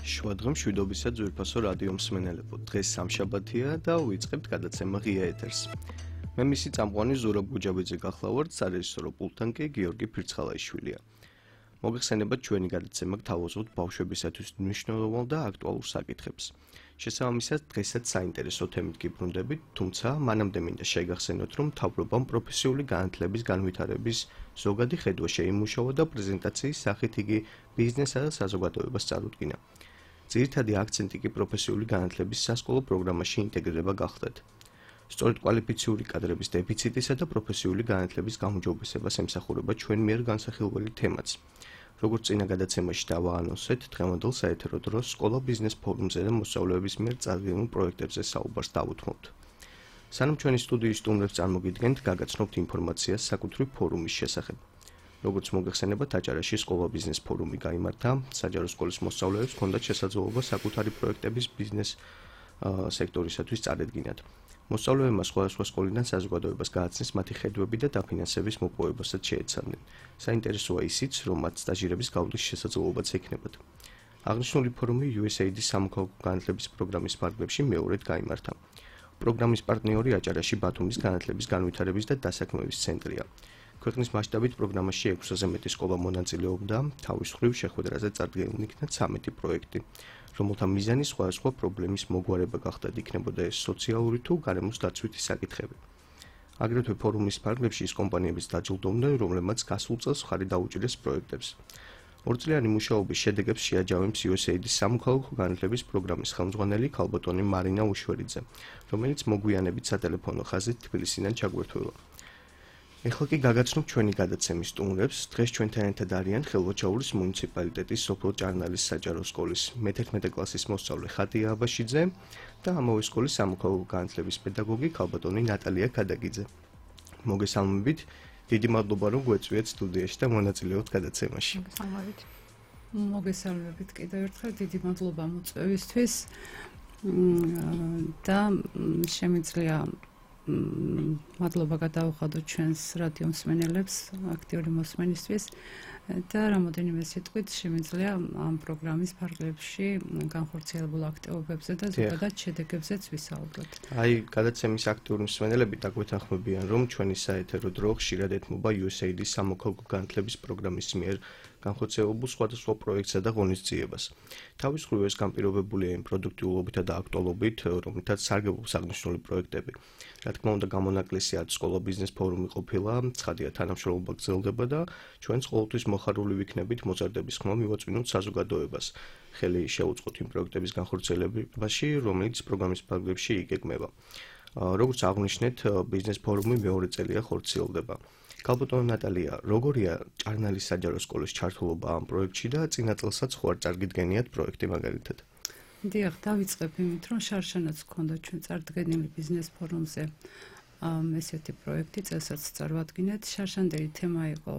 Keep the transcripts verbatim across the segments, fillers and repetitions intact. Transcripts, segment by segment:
შუადღე მშვიდობისა ძვირფასო რადიო მსმენელებო, დღეს სამშაბათია და ვიწყებთ გადაცემა ღია ეთერს. მე მისი წამყვანი ზურაბ გუჯაბიძე გახლავართ, სარეჟისორო პულტთან კი გიორგი ფირცხალაიშვილია. მოგეხსენებათ ჩვენი გადაცემა გთავაზობთ ბავშვებისათვის მნიშვნელოვან და აქტუალურ საკითხებს. შესაბამისად, დღესაც საინტერესო თემით გიბრუნდებით, თუმცა მანამდე მინდა შეგახსენოთ, რომ მთავრობამ პროფესიული განათლების განვითარების ზოგადი ხედვა შეიმუშავა და პრეზენტაციის სახით იგი ბიზნესსა და საზოგადოებას წარუდგინა. ძირითადი აქცენტი კი პროფესიული განათლების სასკოლო პროგრამაში ინტეგრირება გახლდათ. სწორედ კვალიფიციური კადრების დეფიციტისა და პროფესიული განათლების გაუმჯობესებას ემსახურება ჩვენ მიერ განსახილველი თემაც. როგორც წინა გადაცემაში დავაანონსეთ, დღევანდელ საეთერო დროს სკოლა ბიზნეს ფორუმზე და მოსწავლეების მიერ წარდგენილ პროექტებზე საუბარს დავუთმობთ. სანამ ჩვენი სტუდიის სტუმრებს წარმოგიდგენთ, გაგაცნობთ ინფორმაციას საკუთრივ ფორუმის შესახებ. როგორც მოგეხსენებათ, აჭარაში სკოლა ბიზნეს ფორუმი გაიმართა, საჯარო სკოლის მოსწავლეებს ჰქონდათ შესაძლებლობა საკუთარი პროექტების ბიზნეს სექტორისათვის წარედგინათ. მოსწავლეებმა სხვადასხვა სკოლიდან საზოგადოებას გააცნეს მათი ხედვები და დაფინანსების მოპოვებასაც შეეცადნენ. საინტერესოა ისიც, რომ მათ სტაჟირების გავლის შესაძლებლობაც ექნებათ. აღნიშნული ფორუმი იუ ეს ეი დის სამოქალაქო განათლების პროგრამის ფარგლებში მეორედ გაიმართა. პროგრამის პარტნიორი აჭარაში ბათუმის განათლების განვითარების და დასაქმების ცენტრია. ქვეყნის მასშტაბით პროგრამაში ექვსზე მეტი სკოლა მონაწილეობდა, თავის მხრივ შეხვედრაზე წარდგენილი იქნა ცამეტი პროექტი, რომელთა მიზანი სხვადასხვა პრობლემის მოგვარება გახდათ, იქნებოდა ეს სოციალური თუ გარემოს დაცვითი საკითხები. აგრეთვე ფორუმის ფარგლებში ის კომპანიებიც დაჯილდოვდნენ, რომლებმაც გასულ წელს მხარი დაუჭირეს პროექტებს. ორწლიანი მუშაობის შედეგებს შეაჯავებს იუ ეს ეი დის სამოქალაქო განათლების პროგრამის ხელმძღვანელი ქალბატონი მარინა უშვერიძე, რომელიც მოგვიანებით სატელეფონო ხაზით თბილისიდან ჩაგვერთველა. ეხლა კი გაგაცნობთ ჩვენი გადაცემის სტუმრებს. დღეს ჩვენთან ერთად არიან ხელვაჩაურის მუნიციპალიტეტის სოფელ ჭარნალის საჯარო სკოლის მეთერთმეტე კლასის მოსწავლე ხატია აბაშიძე და ამავე სკოლის სამოქალაქო განათლების პედაგოგი ქალბატონი ნატალია ქადაგიძე. მოგესალმებით, დიდი მადლობა რომ გვეწვიეთ სტუდიაში და მონაწილეობთ გადაცემაში. მოგესალმებით. მოგესალმებით კიდევ ერთხელ, დიდი მადლობა მოწვევისთვის და შემიძლია მადლობა გადავუხადოთ ჩვენს რადიო მსმენელებს აქტიური მოსმენისთვის და რამოდენიმე სიტყვით შემიძლია ამ პროგრამის ფარგლებში განხორციელებულ აქტივობებზე და ზოგადად შედეგებზეც ვისაუბროთ. აი, გადაცემის აქტიური მსმენელები დაგვეთანხმებიან, რომ ჩვენი საეთერო დრო ხშირად ეთმობა იუ ეს ეი დის სამოქალაქო განათლების პროგრამის მიერ განხორციელებულ სხვადასხვა პროექტსა და ღონისძიებას. თავის მხრივ ეს განპირობებულია იმ პროდუქტიულობითა და აქტუალობით, რომლითაც სარგებლობს აღნიშნული პროექტები. რა თქმა უნდა, გამონაკლისია სკოლა ბიზნეს ფორუმი ყოფილა, ცხადია თანამშრომლობა გრძელდება და ჩვენც ყოველთვის მოხარული ვიქნებით მოზარდების ხმა მივაწვინოთ საზოგადოებას. ხელი შეუწყოთ იმ პროექტების განხორციელებაში, რომელიც პროგრამის ფარგლებში იგეგმება. როგორც აღნიშნეთ, ბიზნეს ფორუმი მეორე წელია ხორციელდება. ქალბატონო ნატალია, როგორია ჭარნალის საჯარო სკოლის ჩართულობა ამ პროექტში და წინა წელსაც ხო არ წარგიდგენიათ პროექტი მაგალითად? დიახ, დავიწყებ იმით, რომ შარშანაც გქონდა ჩვენ წარდგენილი ბიზნეს ფორუმზე ესეთი პროექტი, წელსაც წარვადგინეთ. შარშანდელი თემა იყო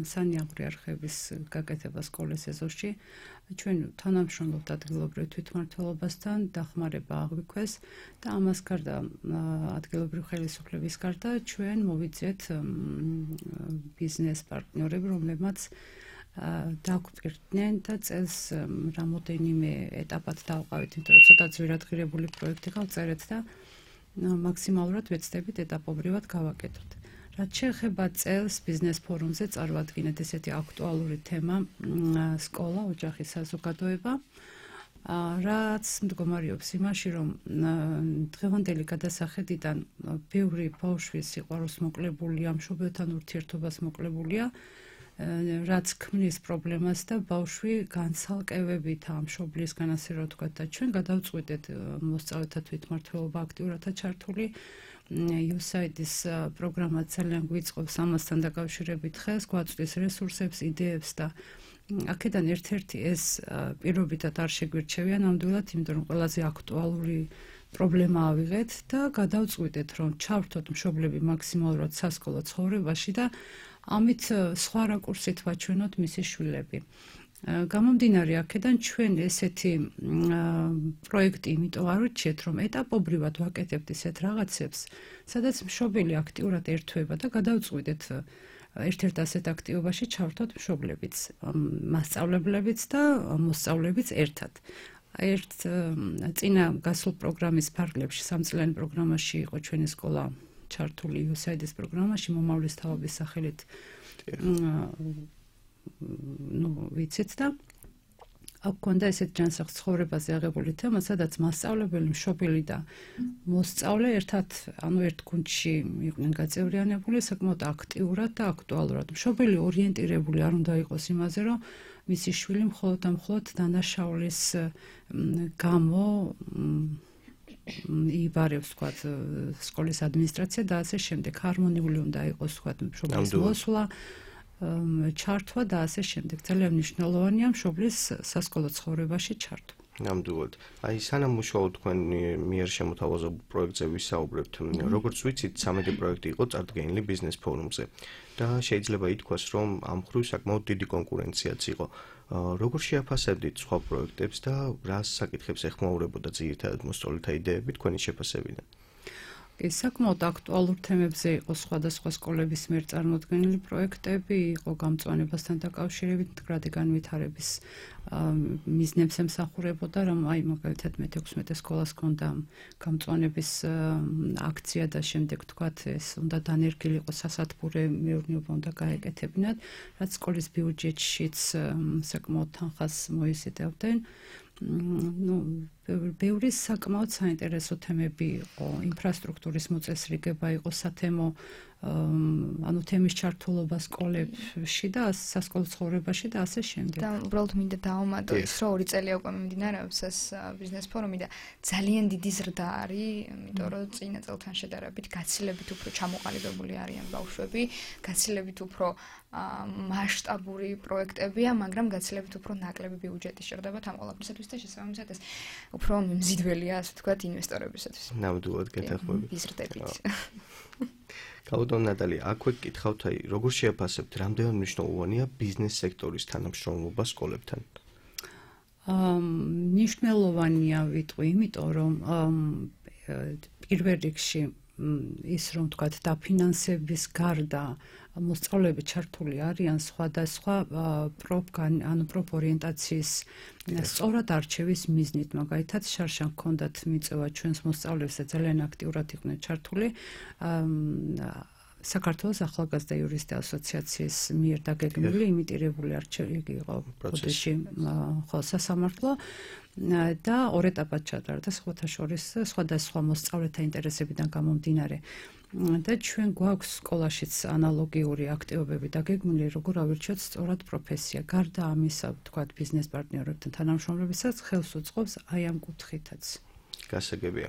სანიაღვრე არხების გაკეთება სკოლის ეზოში. ჩვენ თანამშრომლობთ ადგილობრივ თვითმმართველობასთან, დახმარება აღვიქვეს და ამას გარდა ადგილობრივ ხელისუფლების გარდა ჩვენ მოვიძიეთ ბიზნეს პარტნიორები, რომლებმაც დაგვპირდნენ და წელს რამოდენიმე ეტაპად დავყავით, იმიტომ რომ ცოტა ძვირადღირებული პროექტი გავწერეთ და მაქსიმალურად ვეცდებით ეტაპობრივად გავაკეთოთ. რაც შეეხება წელს ბიზნეს ფორუმზე წარვადგინეთ ესეთი აქტუალური თემა სკოლა, ოჯახი, საზოგადოება, რაც მდგომარეობს იმაში, რომ დღევანდელი გადასახედიდან ბევრი ბავშვის სიყვარულს მოკლებულია, მშობელთან ურთიერთობას მოკლებულია, რაც ქმნის პრობლემას და ბავშვი განცალკევებით ამ მშობლისგან, ასე რომ ვთქვათ, და ჩვენ გადავწყვიტეთ მოსწავლეთა თვითმმართველობა აქტიურადაა ჩართული. იუ ეს ეი დის პროგრამა ძალიან გვიწყობს ამასთან დაკავშირებით ხელს, გვაწვდის რესურსებს, იდეებს და აქედან ერთ-ერთი ეს პირობითად არ შეგვირჩევია ნამდვილად, იმიტომ რომ ყველაზე აქტუალური პრობლემა ავიღეთ და გადავწყვიტეთ, რომ ჩავრთოთ მშობლები მაქსიმალურად სასკოლო ცხოვრებაში და ამით სხვა რაკურსით ვაჩვენოთ მისი შვილები. გამომდინარე აქედან ჩვენ ესეთი პროექტი იმიტომ არ ვირჩიეთ, რომ ეტაპობრივად ვაკეთებთ ისეთ რაღაცებს, სადაც მშობელი აქტიურად ერთვება და გადავწყვიტეთ ერთ-ერთ ასეთ აქტივობაში ჩავთვათ მშობლებიც, მასწავლებლებიც და მოსწავლეებიც ერთად. ერთ წინა გასულ პროგრამის ფარგლებში სამწლიანი პროგრამაში იყო ჩვენი სკოლა ჩართული იუ ეს έი დი-ის პროგრამაში მომავლის თაობის სახელით ну ვიცით და აქ კონდა ესეთ ჯანსაღ ცხოვრებაზე აღებული თემა, სადაც მასწავლებელი, მშობელი და მოსწავლე ერთად, ანუ ერთ გუნდში იყვნენ გაწევრიანებული, საკმაოდ აქტიურად და აქტუალურად. მშობელი ორიენტირებული არ უნდა იყოს იმაზე, რომ მისი შვილი მხოლოდ და მხოლოდ დანაშაულის გამო იბარებს, თქვათ, სკოლის ადმინისტრაცია და ასე შემდეგ. ჰარმონიული უნდა იყოს, თქვათ, მშობლის მოსვლა, ჩართვა და ასე შემდეგ. ძალიან მნიშვნელოვანია მშობლის სასკოლო ცხოვრებაში ჩართვა. ნამდვილად. აი, სანამ უშუალოდ თქვენ მიერ შემოთავაზებულ პროექტზე ვისაუბრებთ, როგორც ვიცით, სამედი პროექტი იყო წარდგენილი ბიზნეს ფორუმზე და შეიძლება ითქვას, რომ ამ მხრივ საკმაოდ დიდი კონკურენციაც იყო. როგორ შეაფასებდით სხვა პროექტებს და რა საკითხებს ეხმაურებოდა ძირითადად მოსწავლეთა იდეები თქვენი შეფასებიდან? საკმაოდ აქტუალურ თემებზე იყო სხვადასხვა სკოლების მიერ წარმოდგენილი პროექტები, იყო გამწვანებასთან დაკავშირებით მდგრადი განვითარების მიზნებს ემსახურებოდა, რომ აი მაგალითად მეთექვსმეტე სკოლას ჰქონდა გამწვანების აქცია და შემდეგ თქვათ ეს უნდა დანერგილი იყოს სასათბურე მეურნეობა უნდა გაეკეთებინათ, რაც სკოლის ბიუჯეტშიც საკმაოდ თანხას მოიზიდავდნენ. ну ბევრი საკმაოდ საინტერესო თემები იყო, ინფრასტრუქტურის მოწესრიგება იყო სათემო, ანუ თემის ჩართულობა სკოლებში და სასკოლო ცხოვრებაში და ასე შემდეგ. და უბრალოდ მინდა დავამატო ის, რომ ორი წელი უკვე მიმდინარეობს ეს ბიზნეს ფორუმი და ძალიან დიდი ზრდა არის, იმიტომ რომ წინა წელთან შედარებით გაცილებით უფრო ჩამოყალიბებული არიან ბავშვები, გაცილებით უფრო მასშტაბური პროექტებია, მაგრამ გაცილებით უფრო ნაკლები ბიუჯეტი სჭირდებათ ამ ყველაფრისათვის და შესაბამისად ეს უფრო მიმზიდველია, ასე ვთქვათ, ინვესტორებისათვის. ნამდვილად გეთანხმები. იზრდებით. კაუდონ ნატალი, აქვე გკითხავთ, აი, როგორ შეაფასებთ, რამდენად მნიშვნელოვანია ბიზნეს სექტორის თანამშრომლობა სკოლებთან? აა მნიშვნელოვანია ვიტყვი, იმიტომ რომ პირველ რიგში ის რომ თქვათ დაფინანსების გარდა მოსწავლეები ჩართული არიან სხვადასხვა პროპგან, ანუ პროპორიენტაციის სწორად არჩევის მიზნით, მაგალითად შარშან ჰქონდათ მიწევა ჩვენს მოსწავლეებს და ძალიან აქტიურად იყვნენ ჩართული საქართველოს ახალგაზრდა იურისტთა ასოციაციის მიერ დაგეგმილი იმიტირებული არჩევი იყო პროცესში ხო სასამართლო და ორ ეტაპად ჩატარდა სხვათა შორის სხვადასხვა მოსწავლეთა ინტერესებიდან გამომდინარე. და ჩვენ გვაქვს სკოლაშიც ანალოგიური აქტივობები დაგეგმილი, როგორ ავირჩიოთ სწორად პროფესია. გარდა ამისა, ვთქვათ, ბიზნეს პარტნიორებთან თანამშრომლებისაც ხელს უწყობს აი ამ კუთხითაც. გასაგებია.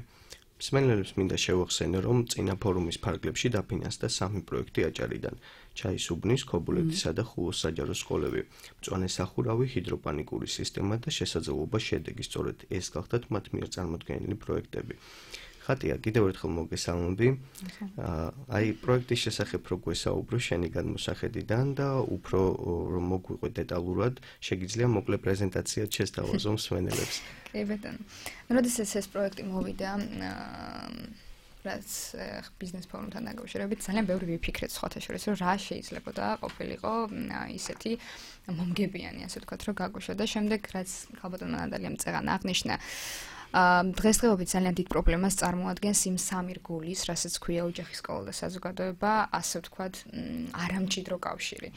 მსმენელებს მინდა შევახსენო, რომ წინა ფორუმის ფარგლებში დაფინანსდა სამი პროექტი აჭარიდან. ჩაისუბნის, ქობულეთისა და ხულოს საჯარო სკოლები, მწვანე სახურავი, ჰიდროპანიკური სისტემა და შესაძლებლობა შედეგი. სწორედ ეს გახდათ მათ მიერ წარმოდგენილი პროექტები. ხატია, კიდევ ერთხელ მოგესალმები. აი, პროექტის შესახებ რო გვესაუბრო შენი გადმოსახედიდან და უფრო რომ მოგვიყვე დეტალურად, შეგიძლია მოკლე პრეზენტაციად შესთავაზო მსმენელებს. კი ბატონო. როდესაც ეს პროექტი მოვიდა, რაც ბიზნეს ფორუმთან დაკავშირებით, ძალიან ბევრი ვიფიქრეთ სხვათა შორის, რომ რა შეიძლებოდა ყოფილიყო ისეთი მომგებიანი, ასე ვთქვათ, რომ გაგვიშვა და შემდეგ რაც ხალბატონმა ნატალიამ წეგან აღნიშნა, დღესდღეობით ძალიან დიდ პრობლემას წარმოადგენს იმ სამი რგულის, რასაც ქვია ოჯახი, სკოლა და საზოგადოება, ასე ვთქვათ, არამჭიდრო კავშირი.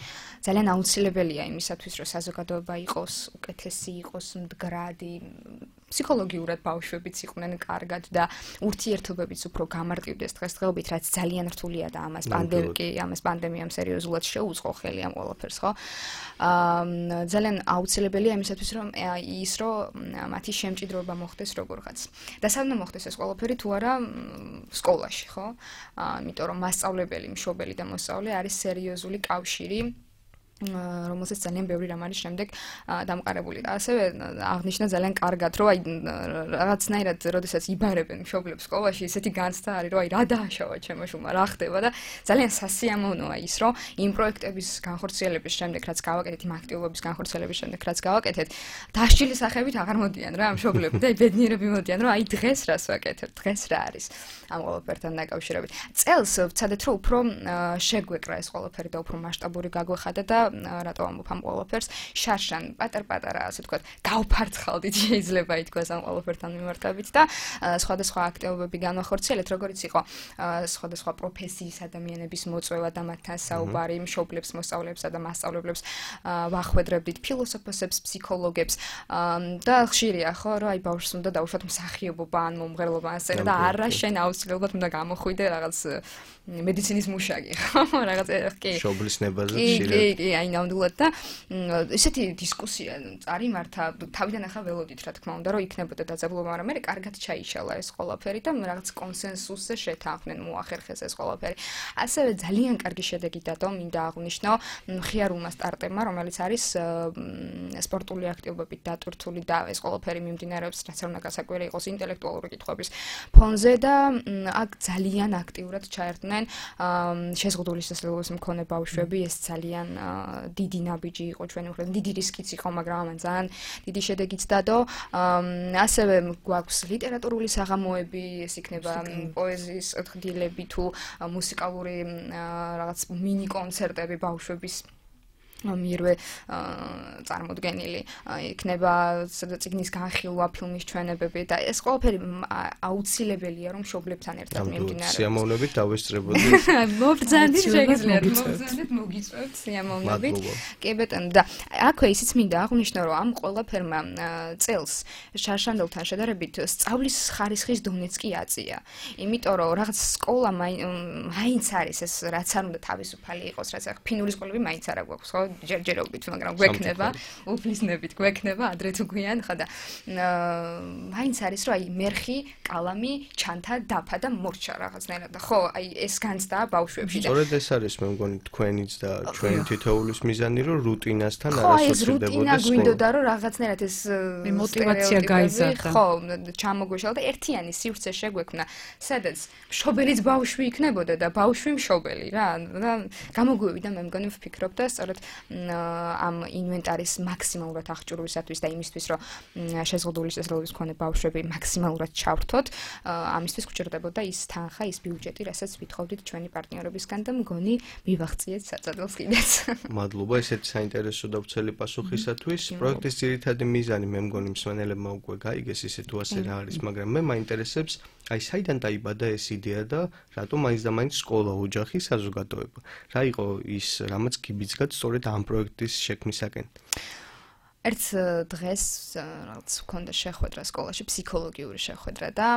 ძალიან აუცილებელია იმისათვის, რომ საზოგადოება იყოს უკეთესი, იყოს მდგრადი, ფსიქოლოგიურად ბავშვებიც იყვნენ კარგად და ურთიერთობებიც უფრო გამარტივდეს დღესდღეობით, რაც ძალიან რთულია და ამას პანდემიკი, ამას პანდემიამ სერიოზულად შეუწყო ხელი ამ ყველაფერს, ხო? აა ძალიან აუცილებელია იმისათვის, რომ ის რომ მათი შემჭიდროება მოხდეს როგორღაც. და სანამ მოხდეს ეს ყველაფერი თუ არა სკოლაში, ხო? აა იმიტომ რომ მასწავლებელი, მშობელი და მოსწავლე არის სერიოზული კავშირი. რომელსაც ძალიან ბევრი რამ არის შემდეგ დამყარებული. ასევე აღნიშნა ძალიან კარგად, რომ აი რაღაცნაირად როდესაც იბარებენ მშობლებს სკოლაში, ესეთი განცდა არის, რომ აი რა დააშავა ჩემო შვილმა, რა ხდება და ძალიან სასიამოვნოა ის, რომ იმ პროექტების განხორციელების შემდეგ, რაც გავაკეთეთ, იმ აქტივობების განხორციელების შემდეგ, რაც გავაკეთეთ, დასჯილის სახებით აღარ მოდიან რა მშობლები და ბედნიერები მოდიან, რომ აი დღეს რას ვაკეთებ, დღეს რა არის ამ ყველაფერთან დაკავშირებით. წელს ვცადეთ, რომ უფრო შეგვეკრა ეს ყველაფერი და უფრო მასშტაბური გაგვეხადა და რატო ამბობ ამ ყველაფერს შარშან პატარ-პატარა ასე ვთქვათ გავფარცხალდით შეიძლება ითქვას ამ ყველაფერთან მიმართებით და სხვადასხვა აქტივობები განვახორციელეთ როგორც იყო სხვადასხვა პროფესიის ადამიანების მოწვევა და მათთან საუბარი მშობლებს მოსწავლეებსა და მასწავლებლებს ვახვედრებდით ფილოსოფოსებს ფსიქოლოგებს და ხშირია ხო რომ აი ბავშვს უნდა დაუშვათ მსახიობობა ან მომღერლობა ან სცენა და არა შენ აუცილებლად უნდა გამოხვიდე რაღაც მედიცინის მუშაკი ხო რაღაც კი მშობლის ნებაზე ხშირად კი კი აი ნამდვილად და ესეთი დისკუსია წარიმართა თავიდან ახლა ველოდით რა თქმა უნდა რომ იქნებოდა დაძაბულობა მაგრამ მე კარგად ჩაიშალა ეს ყველაფერი და რაღაც კონსენსუსზე შეთანხმდნენ მოახერხეს ეს ყველაფერი ასევე ძალიან კარგი შედეგი დადო მინდა აღვნიშნო მხიარულმა სტარტებმა რომელიც არის სპორტული აქტივობებით დატვირთული და ეს ყველაფერი მიმდინარეობს რაც არ უნდა გასაკვირი იყოს ინტელექტუალური კითხვების ფონზე და აქ ძალიან აქტიურად ჩაერთნენ შეზღუდული შესაძლებლობის მქონე ბავშვები ეს ძალიან დიდი ნაბიჯი იყო ჩვენი უხრა დიდი რისკიც იყო მაგრამ ამან ძალიან დიდი შედეგიც დადო ასევე გვაქვს ლიტერატურული საღამოები ეს იქნება პოეზიის ხდილები თუ მუსიკალური რაღაც მინი კონცერტები ბავშვების მიერვე წარმოდგენილი იქნება წიგნის განხილვა ფილმის ჩვენებები და ეს ყველაფერი აუცილებელია რომ მშობლებთან ერთად მიმდინარეობს სიამოვნებით დავესწრებოდი მობრძანდით შეგიძლიათ მობრძანდით მოგიწევთ სიამოვნებით კი ბატონო და აქვე ისიც მინდა აღვნიშნო რომ ამ ყველაფერმა წელს შარშანდელთან შედარებით სწავლის ხარისხის დონეც კი აწია იმიტომ რომ რაღაც სკოლა მაინც არის ეს რაც არ უნდა თავისუფალი იყოს რაც ახ ფინური სკოლები მაინც არა გვაქვს ხო ჯერჯერობით, მაგრამ გვექნება, უფლისნებით გვექნება, ადრე თუ გვიან, ხა და მაინც არის რომ აი მერხი, კალამი, ჩანთა, დაფა და მორჩა რაღაცნაირად და ხო, აი ეს განცდაა ბავშვებში და სწორედ ეს არის მე მგონი თქვენიც და ჩვენი თითოეულის მიზანი რომ რუტინასთან არ ასოცირდებოდეს. ხო, ეს რუტინა გვინდოდა რომ რაღაცნაირად ეს მოტივაცია გაიზარდა. ხო, ჩამოგვეშალა და ერთიანი სივრცე შეგვექმნა, სადაც მშობელიც ბავშვი იქნებოდა და ბავშვი მშობელი რა და გამოგვივიდა მე მგონი ვფიქრობ და სწორედ ამ ინვენტარის მაქსიმალურად აღჭურვისათვის და იმისთვის რომ შეზღუდული შესაძლებლობის მქონე ბავშვები მაქსიმალურად ჩავრთოთ ამისთვის გვჭირდებოდა ის თანხა ის ბიუჯეტი რასაც ვითხოვდით ჩვენი პარტნიორებისგან და მგონი მივახციეთ საწადელს კიდეც მადლობა ესეთი საინტერესო და ვრცელი პასუხისათვის პროექტის ძირითადი მიზანი მე მგონი მსმენელებმა უკვე გაიგეს ისე თუ ასე რა არის მაგრამ მე მაინტერესებს აი საიდან დაიბადა ეს იდეა და რატომ მაინც და მაინც სკოლა ოჯახი საზოგადოება რა იყო ის რამაც გიბიძგათ სწორედ ამ პროექტის შექმნისაკენ ერთ დღეს რაღაც მქონდა შეხვედრა სკოლაში ფსიქოლოგიური შეხვედრა და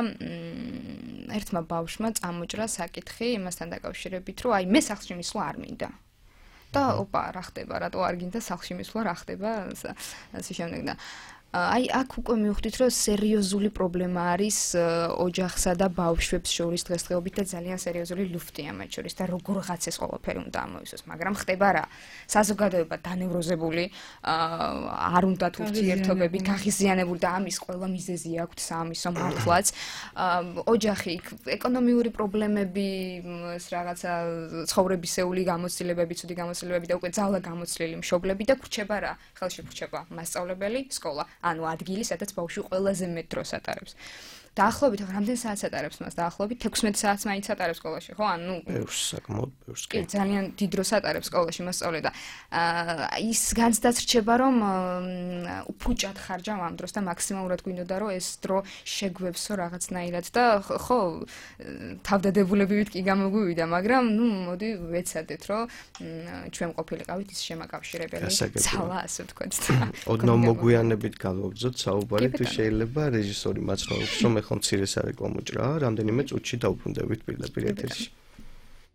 ერთმა ბავშვმა წამოჭრა საკითხი იმასთან დაკავშირებით რომ აი მე სახლში მისვლა არ მინდა და ოპა რა ხდება რატო არ გინდა სახლში მისვლა რა ხდება ასე შემდეგ და აი აქ უკვე მივხვდით რომ სერიოზული პრობლემა არის ოჯახსა და ბავშვებს შორის დღესდღეობით და ძალიან სერიოზული ლუფტია მათ შორის და როგორღაც ეს ყველაფერი უნდა ამოისოს მაგრამ ხდება რა საზოგადოება დანევროზებული არ უნდა თუ ურთიერთობები გაღიზიანებული და ამის ყველა მიზეზი აქვს სამისო მართლაც ოჯახი ეკონომიური პრობლემები ეს რაღაცა ცხოვრებისეული გამოცდილებები ცუდი გამოცდილებები და უკვე ძალა გამოცლილი მშობლები და გრჩება რა ხელში გრჩება მასწავლებელი სკოლა ანუ ადგილი, სადაც ბავშვი ყველაზე მეტ დროს ატარებს. დაახლოებით რამდენ საათს ატარებს მას? დაახლოებით ექვსმეტ საათს მაინც ატარებს სკოლაში, ხო? ანუ ბევრს საკმაოდ ბევრს კი. ძალიან დიდ დროს ატარებს სკოლაში მასწავლე და ის განცდაც რჩება, რომ უფუჭად ხარჯავ ამ დროს და მაქსიმალურად გვინდოდა, რომ ეს დრო შეგვევსო რაღაცნაირად და ხო, თავდადებულებივით კი გამოგვივიდა, მაგრამ ნუ მოდი ვეცადეთ, რომ ჩვენ ყოფილიყავით ის შემაკავშირებელი ძალა, ასე ვთქვათ. ოდნავ მოგვიანებით გავაგზავნოთ საუბარი თუ შეიძლება რეჟისორი მაცხოვრებს რომ ხო მცირე სარეკლამო ჭრა, რამდენიმე წუთში დაუბრუნდებით პირდაპირ ეთერში.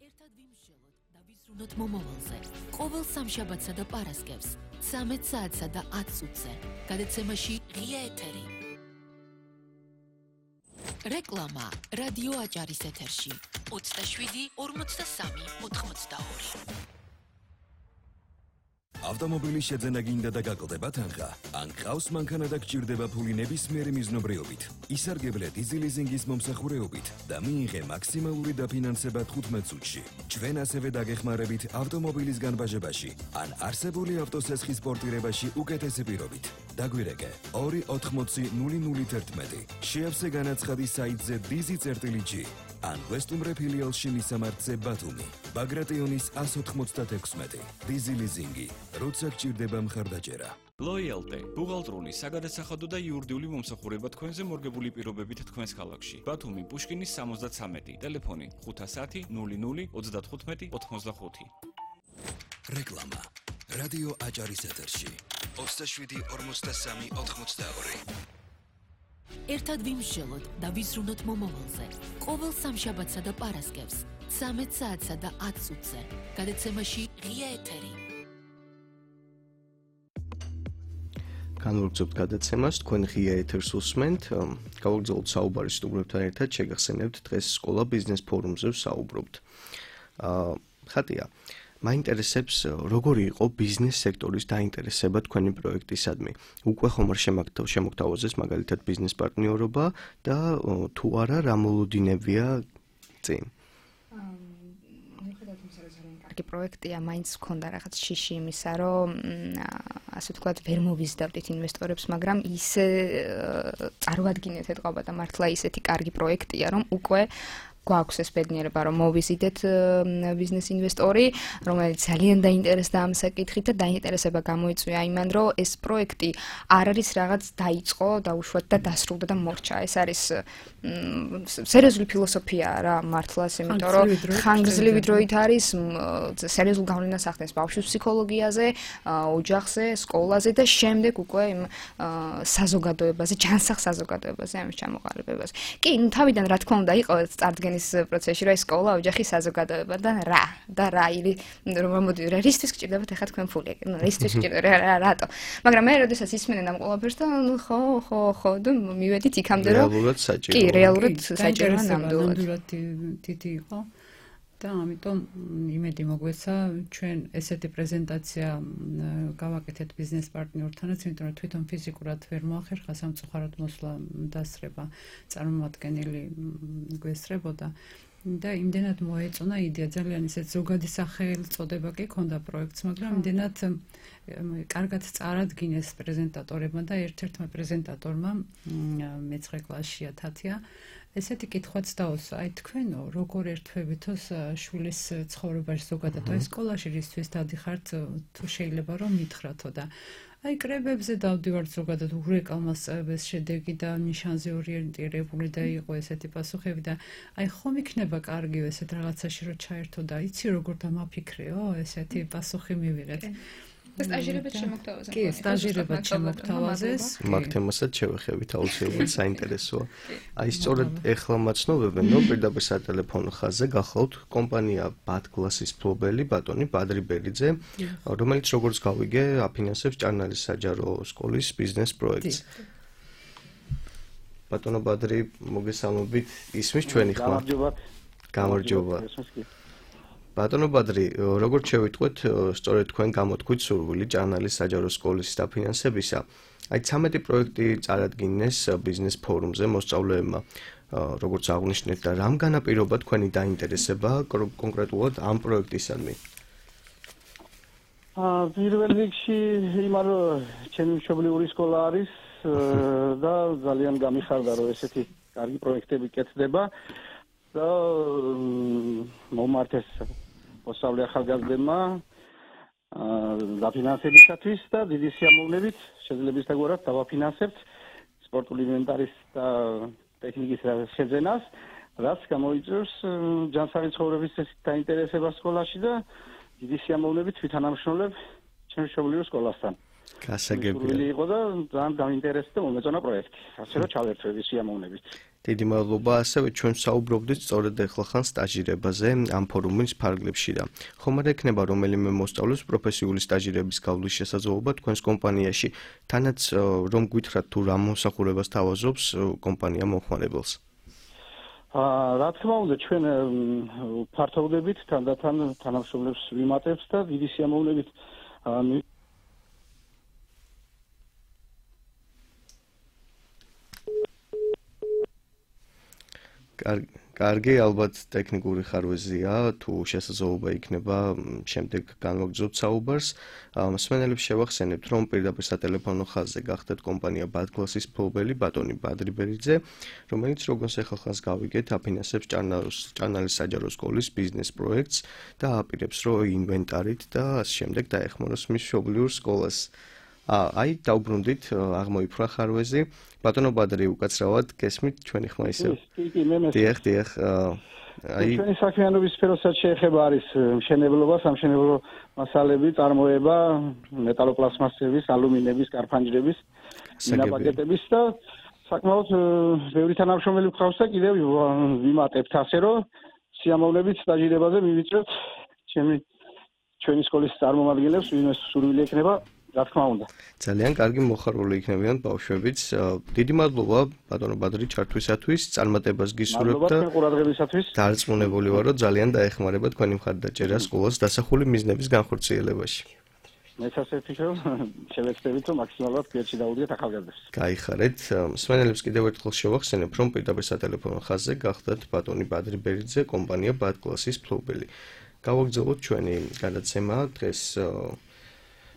ერთად ვიმსჯელოთ და ვიზრუნოთ მომავალზე. ყოველ სამშაბათსა და პარასკევს, ცამეტ საათსა და ათ წუთზე. გადაცემაში ღია ეთერი. რეკლამა რადიო აჭარის ეთერში. ოცდაშვიდი ორმოცდასამი ოთხმოცდაორი. ავტომობილის შეძენა გინდა და გაკლდება თანხა, ან ყავს მანქანა და გჭირდება ფული ნებისმიერი მიზნობრიობით, ისარგებლე დიზი ლიზინგის მომსახურეობით და მიიღე მაქსიმალური დაფინანსება თხუთმეტ წუთში. ჩვენ ასევე დაგეხმარებით ავტომობილის განბაჟებაში, ან არსებული ავტოსესხის პორტირებაში უკეთესი პირობით. დაგვირეკე ორი ოთხმოცი ნული ნული თერთმეტი. შეავსე განაცხადი საიტზე დიზი წერტილი ან ვესტუმრე ფილიალში მისამართზე ბათუმი. ბაგრატიონის ას ოთხმოცდაექვსმეტი. დიზი ლიზინგი. როცა გჭირდება მხარდაჭერა. Loyalty, ბუღალტრული, საგადასახადო და იურიდიული მომსახურება თქვენზე მორგებული პირობებით თქვენს ქალაქში. ბათუმი, პუშკინის სამოცდათსამეტი, ტელეფონი ხუთასათი ნული ნული ოცდათხუთმეტი ოთხმოცდახუთი. რეკლამა. რადიო აჭარის ეთერში. ოცდაშვიდი ორმოცდასამი ოთხმოცდაორი. ერთად ვიმსჯელოთ და ვიზრუნოთ მომავალზე. ყოველ სამშაბათსა და პარასკევს, ცამეტ საათსა და ათ წუთზე. გადაცემაში ღია ეთერი. განვაგრძობთ გადაცემას, თქვენ ღია ეთერს უსმენთ. გავაგრძელოთ საუბარი სტუმრებთან ერთად, შეგახსენებთ დღეს სკოლა ბიზნეს ფორუმზე ვსაუბრობთ. აა ხატია, მაინტერესებს როგორი იყო ბიზნეს სექტორის დაინტერესება თქვენი პროექტისადმი. უკვე ხომ არ შემოგთავაზეს მაგალითად ბიზნეს პარტნიორობა და თუ არა რა მოლოდინებია წინ? კარგი პროექტია, მაინც მქონდა რაღაც შიში იმისა, რომ ასე ვთქვათ, ვერ მოვიზდავდით ინვესტორებს, მაგრამ ისე წარმოადგინეთ ეთყობა და მართლა ისეთი კარგი პროექტია, რომ უკვე გვაქვს ეს ბედნიერება, რომ მოვიზიდეთ ბიზნეს ინვესტორი, რომელიც ძალიან დაინტერესდა ამ საკითხით და დაინტერესება გამოიწვია იმან, რომ ეს პროექტი არ არის რაღაც დაიწყო, დაუშვათ და დასრულდა და მორჩა. ეს არის სერიოზული ფილოსოფია რა მართლაც, იმიტომ რომ ხანგრძლივი დროით არის, სერიოზულ გავლენას ახდენს ბავშვის ფსიქოლოგიაზე, ოჯახზე, სკოლაზე და შემდეგ უკვე იმ საზოგადოებაზე, ჯანსაღ საზოგადოებაზე, ამის ჩამოყალიბებაზე. კი, თავიდან რა თქმა უნდა იყო წარდგენის პროცესში რა სკოლა, ოჯახი, საზოგადოება და რა და რა ილი რომ მოდი რა რისთვის გჭირდებათ ახლა თქვენ ფული, ნუ რისთვის გჭირდება რა რატო. მაგრამ მე როდესაც ისმენენ ამ ყველაფერს და ნუ ხო ხო ხო და მივედით იქამდე რომ რეალურად საჭირო. კი, რეალურად საჭირო ნამდვილად. ნამდვილად დიდი იყო. და ამიტომ იმედი მოგვეცა ჩვენ ესეთი პრეზენტაცია გავაკეთეთ ბიზნეს პარტნიორთანაც, იმიტომ რომ თვითონ ფიზიკურად ვერ მოახერხა სამწუხაროდ მოსვლა დასრება წარმომადგენელი გვესწრებოდა და იმდენად მოეწონა იდეა, ძალიან ისეთ ზოგადი სახელწოდება კი ჰქონდა პროექტს, მაგრამ იმდენად კარგად წარადგინეს პრეზენტატორებმა და ერთ-ერთმა პრეზენტატორმა მეცხრე კლასშია თათია ესეთი კითხვაც დაუსვა, აი თქვენო როგორ ერთვებითო შვილის ცხოვრებაში ზოგადად აი სკოლაში რისთვის დადიხართ, თუ შეიძლება რომ მითხრათო და აი კრებებზე დავდივართ ზოგადად ურეკალმას წევებს შედეგი და ნიშანზე ორიენტირებული და იყო ესეთი პასუხები და აი ხომ იქნება კარგი ესეთ რაღაცაში რომ ჩაერთო და იცი როგორ დამაფიქრეო ესეთი პასუხი მივიღეთ. სტაჟირებად შემოგთავაზეს. კი, სტაჟირებად შემოგთავაზეს. მაგ თემასაც შევეხებით აუცილებლად საინტერესოა. აი სწორედ ეხლა მაცნობებენ, რომ პირდაპირ სატელეფონო ხაზზე გახლავთ კომპანია ბატგლასის მფლობელი ბატონი ბადრი ბერიძე, რომელიც როგორც გავიგე, აფინანსებს ჭარნალის საჯარო სკოლის ბიზნეს პროექტს. ბატონო ბადრი, მოგესალმებით, ისმის ჩვენი ხმა. გამარჯობა. ბატონო ბადრი, როგორც შევიტყვეთ, სწორედ თქვენ გამოთქვით სურვილი ჭარნალის საჯარო სკოლის დაფინანსებისა. აი ცამეტი პროექტი წარადგინეს ბიზნეს ფორუმზე მოსწავლეებმა, როგორც აღნიშნეთ და რამ განაპირობა თქვენი დაინტერესება კონკრეტულად ამ პროექტისადმი? აა პირველ რიგში იმარ ჩემი მშობლიური სკოლა არის და ძალიან გამიხარდა რომ ესეთი კარგი პროექტები კეთდება. და მომართეს მოსწავლე ახალგაზრდებმა დაფინანსებისათვის და დიდი სიამოვნებით შეძლებისდაგვარად დავაფინანსებთ სპორტული ინვენტარის და ტექნიკის შეძენას, რაც გამოიწვევს ჯანსაღი ცხოვრების დაინტერესება სკოლაში და დიდი სიამოვნებით ვითანამშრომლებ ჩემს მშობლიურ სკოლასთან. გასაგებია. იყო და ძალიან დაინტერესდა და მომეწონა პროექტი. ასე რომ ჩავერთვები სიამოვნებით. დიდი მადლობა, ასევე ჩვენ საუბრობდით სწორედ ეხლახან სტაჟირებაზე ამ ფორუმის ფარგლებში და ხომ არ ექნება რომელიმე მოსწავლეს პროფესიული სტაჟირების გავლის შესაძლებლობა თქვენს კომპანიაში, თანაც რომ გითხრათ თუ რა მომსახურებას თავაზობს კომპანია მომხმარებელს. აა რა თქმა უნდა, ჩვენ ფართოვდებით თანდათან თანამშრომლებს ვიმატებთ და დიდი სიამოვნებით კარგი, ალბათ ტექნიკური ხარვეზია, თუ შესაძლებლობა იქნება შემდეგ განვაგრძობთ საუბარს. მსმენელებს შევახსენებთ, რომ პირდაპირ სატელეფონო ხაზზე გახდეთ კომპანია ბადკლასის მფლობელი ბატონი ბადრი ბერიძე, რომელიც როგორც ახალხანს გავიგეთ, აფინანსებს ჭანალის საჯარო სკოლის ბიზნეს პროექტს და აპირებს, რომ ინვენტარით და ასე შემდეგ დაეხმაროს მის მშობლიურ სკოლას. აი, დაუბრუნდით, აღმოიფრა ხარვეზი. ბატონო ბადრი, უკაცრავად გესმით ჩვენი ხმა ისევ. დიახ, დიახ. აი, ჩვენი საქმიანობის სფეროსაც შეეხება არის მშენებლობა, სამშენებლო მასალები, წარმოება, მეტალოპლასმასების, ალუმინების, კარფანჯრების, მინაპაკეტების და საკმაოდ ბევრი თანამშრომელი გვყავს და კიდევ ვიმატებთ ასე, რომ სიამოვნებით სტაჟირებაზე მივიწევთ ჩემი ჩვენი სკოლის წარმომადგენლებს, ვინმე სურვილი ექნება. რა თქმა უნდა. ძალიან კარგი მოხარული იქნებიან ბავშვებიც. დიდი მადლობა ბატონო ბადრი ჩართვისათვის, წარმატებას გისურვებთ და ყურადღებისათვის. დარწმუნებული ვარ, რომ ძალიან დაეხმარება თქვენი მხარდაჭერა სკოლას დასახული მიზნების განხორციელებაში. მეც ასე ვფიქრობ, შევეცდებით, რომ მაქსიმალურად გვერდში დავუდგეთ ახალგაზრდებს. გაიხარეთ. მსმენელებს კიდევ ერთხელ შევახსენებ, რომ პირდაპირ სატელეფონო ხაზზე გახდათ ბატონი ბადრი ბერიძე, კომპანია ბადკლასის მფლობელი. გავაგრძელოთ ჩვენი გადაცემა დღეს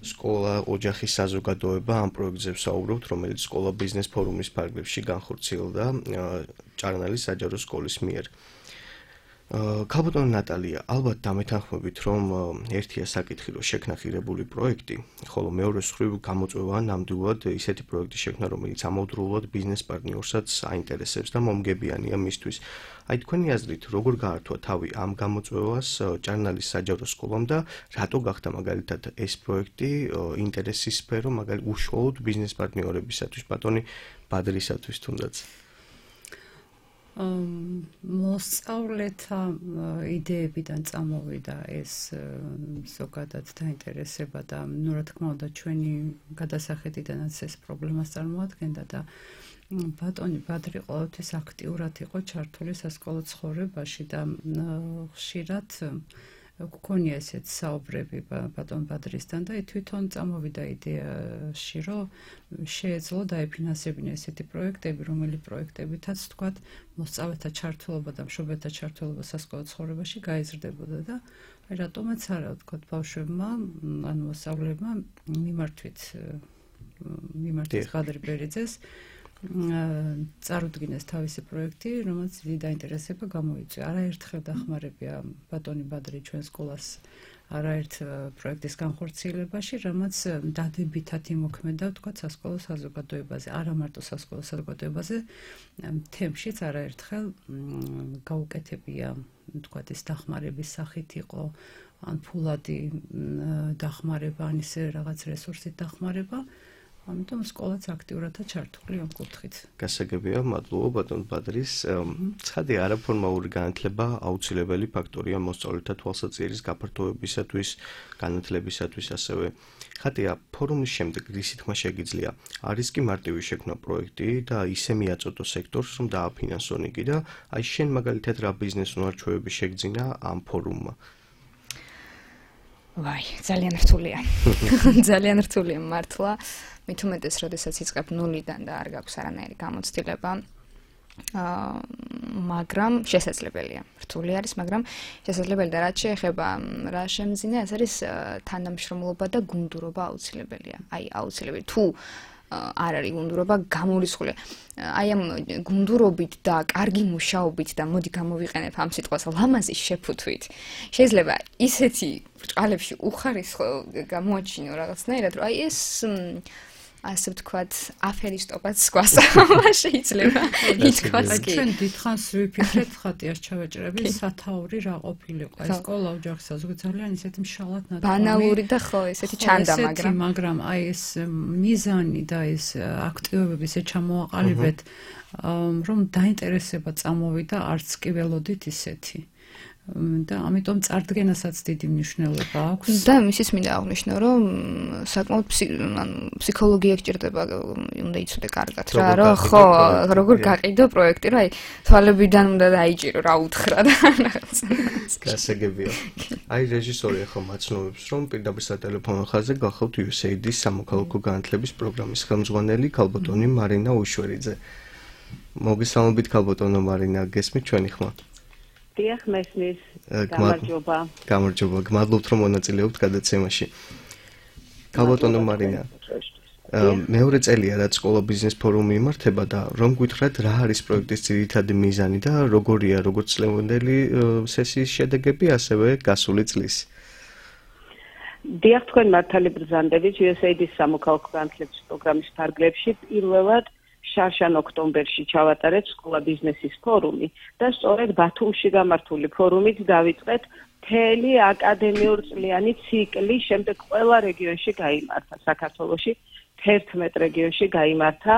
სკოლა ოჯახის საზოგადოება ამ პროექტზე ვსაუბრობთ, რომელიც სკოლა ბიზნეს ფორუმის ფარგლებში განხორციელდა ჭარნალის საჯარო სკოლის მიერ. ქალბატონო ნატალია, ალბათ დამეთანხმებით, რომ ერთია საკითხი, რომ შექმნა ღირებული პროექტი, ხოლო მეორე მხრივ გამოწვევა ნამდვილად ისეთი პროექტი შექმნა, რომელიც ამავდროულად ბიზნეს პარტნიორსაც აინტერესებს და მომგებიანია მისთვის. აი თქვენი აზრით, როგორ გაართვა თავი ამ გამოწვევას ჭარნალის საჯარო სკოლამ და რატო გახდა მაგალითად ეს პროექტი ინტერესის სფერო, მაგალითად უშუალოდ ბიზნეს პარტნიორებისათვის, ბატონი ბადრისათვის თუნდაც? მოსწავლეთა იდეებიდან წამოვიდა ეს ზოგადად დაინტერესება და ნუ რა თქმა უნდა ჩვენი გადასახედიდანაც ეს პრობლემას წარმოადგენდა და ბატონი ბადრი ყოველთვის აქტიურად იყო ჩართული სასკოლო ცხოვრებაში და ხშირად გქონია ესეთ საუბრები ბატონ ბადრისთან და თვითონ წამოვიდა იდეაში, რომ შეეძლო დაეფინანსებინა ესეთი პროექტები, რომელი პროექტებითაც თქვათ მოსწავლეთა ჩართულობა და მშობელთა ჩართულობა სასკოლო ცხოვრებაში გაიზრდებოდა და აი რატომაც არა თქვათ ბავშვებმა, ანუ მოსწავლეებმა მიმართვით მიმართვით ბადრი ბერიძეს წარუდგინეს თავისი პროექტი, რომელიც დიდი დაინტერესება გამოიწვია. არაერთხელ დახმარებია ბატონი ბადრი ჩვენ სკოლას არაერთ პროექტის განხორციელებაში, რამაც დადებითად იმოქმედა, თქვათ, სასკოლო საზოგადოებაზე, არა მარტო სასკოლო საზოგადოებაზე, თემშიც არაერთხელ გაუკეთებია, თქვათ, ეს დახმარების სახით იყო, ან ფულადი დახმარება, ან ისე რაღაც რესურსით დახმარება. ამიტომ სკოლაც აქტიურადაა ჩართული ამ კუთხით. გასაგებია, მადლობა ბატონ ბადრის. ცხადია, არაფორმალური განათლება აუცილებელი ფაქტორია მოსწავლეთა თვალსაჩინოს გაფართოებისათვის, განათლებისათვის ასევე. ხათია, ფორუმის შემდეგ რისი თქმა შეგიძლია? არის კი მარტივი შექმნა პროექტი და ისე მიაწოდო სექტორს, რომ დააფინანსონ იგი და აი შენ მაგალითად რა ბიზნეს უნარჩვევები შეგძინა ამ ფორუმმა? ვაი, ძალიან რთულია. ძალიან რთულია მართლა. მით უმეტეს, როდესაც იწყებ ნულიდან და არ გაქვს არანაირი გამოცდილება. აა, მაგრამ შესაძლებელია. რთული არის, მაგრამ შესაძლებელი და რაც შეეხება რა შემძინე, ეს არის თანამშრომლობა და გუნდურობა აუცილებელია. აი, აუცილებელი. თუ არ არის გუნდურობა, გამორიცხულია. აი ამ გუნდურობით და კარგი მუშაობით და მოდი გამოვიყენებ ამ სიტყვას ლამაზი შეფუთვით. შეიძლება ისეთი ბრჭყალებში უხარისხო გამოაჩინო რაღაცნაირად, რომ აი ეს ასე ვთქვათ, აფერისტობაც გვასწავლა შეიძლება ითქვას კი. ჩვენ დიდხანს ვიფიქრეთ, ხატიას ჩავეჭრები, სათაური რა ყოფილიყო. ეს სკოლა ოჯახის საზოგადოება ძალიან ისეთი მშალად ნათქვამი. ბანალური და ხო, ესეთი ჩანდა, მაგრამ მაგრამ აი ეს მიზანი და ეს აქტივობები ესე ჩამოაყალიბეთ, რომ დაინტერესება წამოვიდა, არც კი ველოდით ისეთი. და ამიტომ წარდგენასაც დიდი მნიშვნელობა აქვს. და მისიც მინდა აღვნიშნო, რომ საკმაოდ ფსიქოლოგია გჭირდება, უნდა იცოდე კარგად რა, რომ ხო, როგორ გაყიდო პროექტი, რომ აი თვალებიდან უნდა დაიჭირო რა უთხრა და რაღაც. გასაგებია. აი რეჟისორი ახლა მაცნობებს, რომ პირდაპირ სატელეფონო ხაზზე გახავთ იუ ეს ეი დის სამოქალაქო განათლების პროგრამის ხელმძღვანელი ქალბატონი მარინა უშვერიძე. მოგესალმებით ქალბატონო მარინა, გესმით ჩვენი ხმა? დიახ, მესმის. გამარჯობა. გამარჯობა. გმადლობთ რომ მონაწილეობთ გადაცემაში. ქალბატონო მარინა, მეორე წელია რაც სკოლა ბიზნეს ფორუმი იმართება და რომ გითხრათ რა არის პროექტის ძირითადი მიზანი და როგორია როგორც წლევანდელი სესიის შედეგები, ასევე გასული წლის. დიახ, თქვენ მართალი ბრძანდებით იუ ეს έი დის სამოქალაქო განათლების პროგრამის ფარგლებში პირველად შარშან-ოქტომბერში ჩავატარეთ სკოლა ბიზნესის ფორუმი და სწორედ ბათუმში გამართული ფორუმით დავიწყეთ მთელი აკადემიურ წლიანი ციკლი, შემდეგ ყველა რეგიონში გაიმართა საქართველოში, თერთმეტ რეგიონში გაიმართა.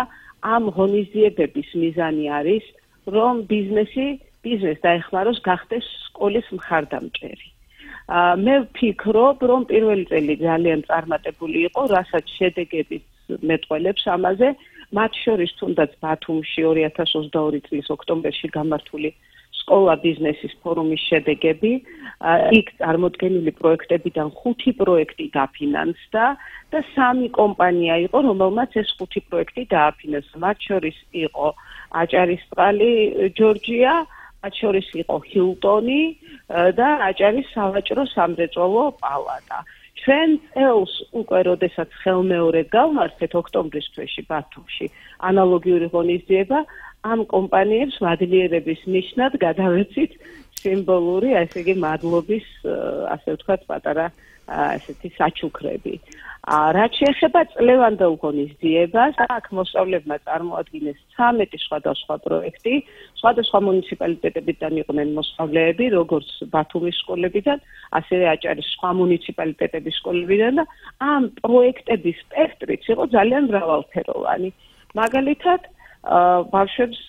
ამ ღონისძიებების მიზანი არის, რომ ბიზნესი, ბიზნეს დაეხმაროს გახდეს სკოლის მხარდამჭერი. მე ვფიქრობ, რომ პირველი წელი ძალიან წარმატებული იყო, რასაც შედეგები მეტყველებს ამაზე, მათ შორის თუნდაც ბათუმში ორი ათას ოცდაორი წლის ოქტომბერში გამართული სკოლა ბიზნესის ფორუმის შედეგები, იქ წარმოდგენილი პროექტებიდან ხუთი პროექტი დაფინანსდა და სამი კომპანია იყო, რომელმაც ეს ხუთი პროექტი დააფინანსა. მათ შორის იყო აჭარისწყალი ჯორჯია, მათ შორის იყო ჰილტონი და აჭარის სავაჭრო სამრეწველო პალატა. ჩვენ წელს უკვე როდესაც ხელმეორედ გავმართეთ ოქტომბრის თვეში ბათუმში ანალოგიური ღონისძიება, ამ კომპანიებს მადლიერების ნიშნად გადავეცით სიმბოლური, ასე იგი მადლობის, ასე ვთქვათ, პატარა ესეთი საჩუქრები. რაც შეეხება წლევანდელ ღონისძიებას, აქ მოსწავლეებმა წარმოადგინეს ცამეტი სხვადასხვა პროექტი, სხვადასხვა მუნიციპალიტეტებიდან იყვნენ მოსწავლეები, როგორც ბათუმის სკოლებიდან, ასევე აჭარის სხვა მუნიციპალიტეტების სკოლებიდან და ამ პროექტების სპექტრიც იყო ძალიან მრავალფეროვანი. მაგალითად, ბავშვებს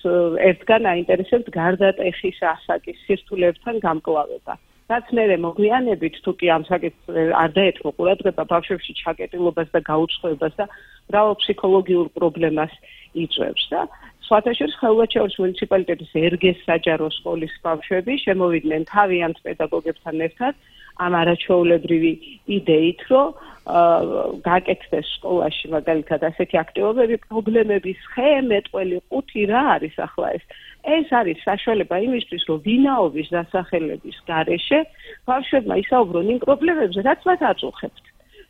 ერთგან აინტერესებთ გარდატეხის ასაკის სირთულეებთან გამკლავება. რაც მერე მოგვიანებით თუ კი ამ საკითხს არ დაეთმო ყურადღება ბავშვებში ჩაკეტილობას და გაუცხოებას და მრავალ ფსიქოლოგიურ პრობლემას იწვევს და სხვათა შორის ხეულაჩაურის მუნიციპალიტეტის ერგეს საჯარო სკოლის ბავშვები შემოვიდნენ თავიანთ პედაგოგებთან ერთად ამ არაჩვეულებრივი იდეით, რომ გაკეთდეს სკოლაში მაგალითად ასეთი აქტივობები, პრობლემების ხე, მეტყველი ყუთი რა არის ახლა ეს? ეს არის საშუალება იმისთვის, რომ ვინაობის დასახელების გარეშე ბავშვებმა ისაუბრონ იმ პრობლემებზე, რაც მათ აწუხებთ.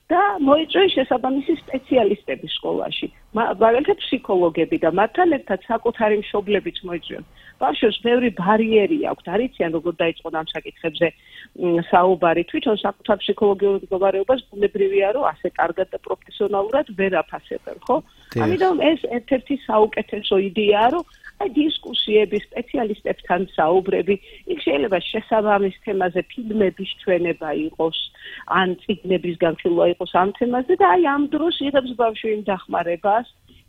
და მოიწვიეს შესაბამისი სპეციალისტები სკოლაში, მაგალითად ფსიქოლოგები და მათთან ერთად საკუთარი მშობლებიც მოიწვიეს. ბავშვებს ბევრი ბარიერი აქვს, არიციან როგორ დაიწყონ ამ საკითხებზე საუბარი, თვითონ საკუთარ ფსიქოლოგიურ მდგომარეობას ბუნებრივია, რომ ასე კარგად და პროფესიონალურად ვერ აფასებენ, ხო? ამიტომ ეს ერთ-ერთი საუკეთესო იდეაა, რომ აი დისკუსიები, სპეციალისტებთან საუბრები, იქ შეიძლება შესაბამის თემაზე ფილმების ჩვენება იყოს, ან წიგნების განხილვა იყოს ამ თემაზე და აი ამ დროს იღებს ბავშვი იმ დახმარებას,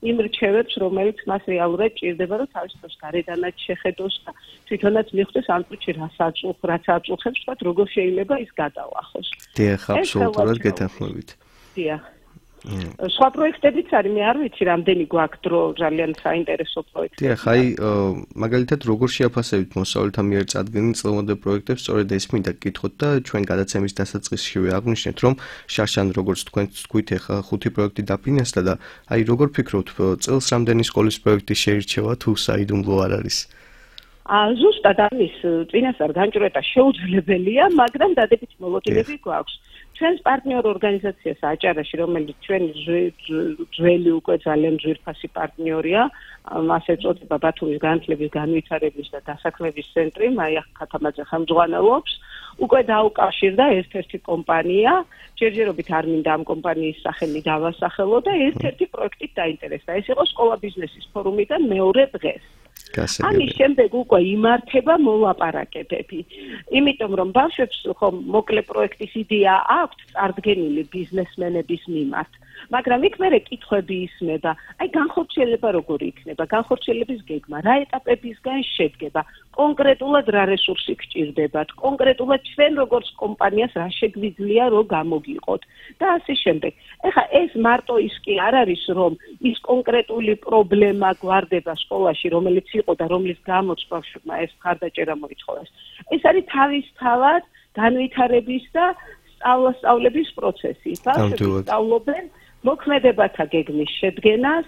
იმ რჩევებს, რომელიც მას რეალურად ჭირდება, რომ თავის დროს გარედანაც შეხედოს და თვითონაც მიხვდეს ამ წუთში რაც აწუხ, რაც აწუხებს, თქვა როგორ შეიძლება ის გადალახოს. დიახ, აბსოლუტურად გეთანხმებით. დიახ. სხვა პროექტებიც არის, მე არ ვიცი, რამდენი გვაქვს დრო ძალიან საინტერესო პროექტები. დიახ, აი მაგალითად როგორ შეაფასებით მოსწავლეთა მიერ წარდგენილ წლევანდელ პროექტებს, სწორედ ეს მინდა გკითხოთ და ჩვენ გადაცემის დასაწყისშივე აღვნიშნეთ, რომ შარშან როგორც თქვენ თქვით, ახლა ხუთი პროექტი დაფინანსდა და აი როგორ ფიქრობთ, წელს რამდენი სკოლის პროექტი შეირჩევა თუ საიდუმლო არ არის? ზუსტად ამის წინასწარ განჭვრეტა შეუძლებელია, მაგრამ დადებითი მოლოდინები გვაქვს. ჩვენს პარტნიორ ორგანიზაციას აჭარაში, რომელიც ჩვენი ძველი უკვე ძალიან ძვირფასი პარტნიორია, ასე ეწოდება ბათუმის განათლების განვითარების და დასაქმების ცენტრი, მაია ხათამაძე ხელმძღვანელობს, უკვე დაუკავშირდა ერთ-ერთი კომპანია, ჯერჯერობით არ მინდა ამ კომპანიის სახელი დავასახელო და ერთ-ერთი პროექტით დაინტერესდა. ეს იყო სკოლა ბიზნესის ფორუმიდან მეორე დღეს. ამის შემდეგ უკვე იმართება მოლაპარაკებები. იმიტომ რომ ბავშვებს ხომ მოკლე პროექტის იდეა აქვთ წარდგენილი ბიზნესმენების მიმართ, მაგრამ იქ მერე კითხვები ისმება, აი განხორციელება როგორი იქნება, განხორციელების გეგმა, რა ეტაპებისგან შედგება, კონკრეტულად რა რესურსი გჭირდებათ, კონკრეტულად ჩვენ როგორც კომპანიას რა შეგვიძლია რომ გამოგიყოთ და ასე შემდეგ. ეხლა ეს მარტო ის კი არ არის, რომ ის კონკრეტული პრობლემა გვარდება სკოლაში, რომელიც იყო და რომლის გამოც ბავშვებმა ეს მხარდაჭერა მოითხოვეს. ეს არის თავისთავად განვითარების და სწავლასწავლების პროცესი. ბავშვები სწავლობენ მოქმედებათა გეგმის შედგენას,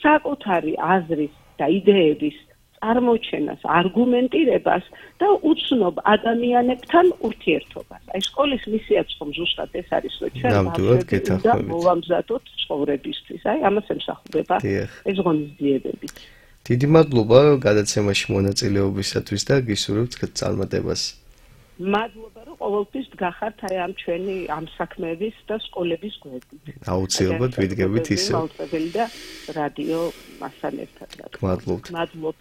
საკუთარი აზრის და იდეების წარმოჩენას, არგუმენტირებას და უცნობ ადამიანებთან ურთიერთობას. აი სკოლის მისიაც ხომ ზუსტად ეს არის, რომ ჩვენ უნდა მოვამზადოთ ცხოვრებისთვის. აი ამას ემსახურება ეს ღონისძიებები. დიდი მადლობა გადაცემაში მონაწილეობისათვის და გისურვებთ წარმატებას. მადლობა, რომ ყოველთვის დგახართ აი ამ ჩვენი ამ საქმეების და სკოლების გვერდით. აუცილებლად ვიდგებით ისე. მაუწყებელი და რადიო მასთან ერთად. მადლობთ. მადლობთ.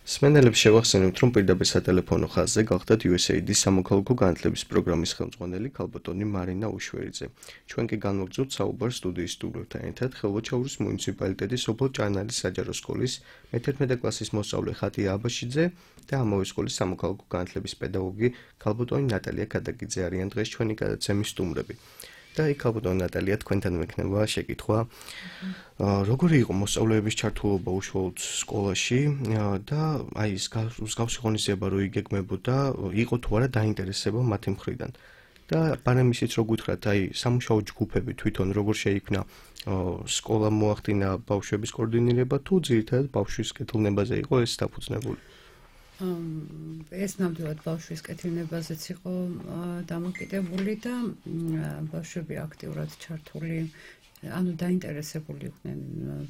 სმენელებს შევახსენებთ, რომ პირდაპირ სატელეფონო ხაზზე გახდათ იუ ეს ეი აი-დის სამოქალაქო განათლების პროგრამის ხელმძღვანელი ქალბატონი მარინა უშვერიძე. ჩვენ კი განვაგრძობთ საუბარს სტუდიის სტუმრებთან ერთად ხელვაჩაურის მუნიციპალიტეტის სოფელ ჭანალის საჯარო სკოლის მეთერთმეტე კლასის მოსწავლე ხატია აბაშიძე და ამავე სკოლის სამოქალაქო განათლების პედაგოგი ქალბატონი ნატალია ქადაგიძე არიან დღეს ჩვენი გადაცემის სტუმრები. და იქ ქალბატონი ნატალია თქვენთან მექნება შეკითხვა. როგორი იყო მოსწავლეების ჩართულობა უშუალოდ სკოლაში და აი ეს მსგავსი ღონისძიება რო იგეგმებოდა, იყო თუ არა დაინტერესება მათი მხრიდან. და პარემ ისიც რო გითხრათ, აი სამუშაო ჯგუფები თვითონ როგორ შეიქმნა, სკოლა მოახდინა ბავშვების კოორდინირება თუ ძირითადად ბავშვის კეთილნებაზე იყო ეს დაფუძნებული? ეს ნამდვილად ბავშვის კეთილნებაზეც იყო დამოკიდებული და ბავშვები აქტიურად ჩართული, ანუ დაინტერესებული იყვნენ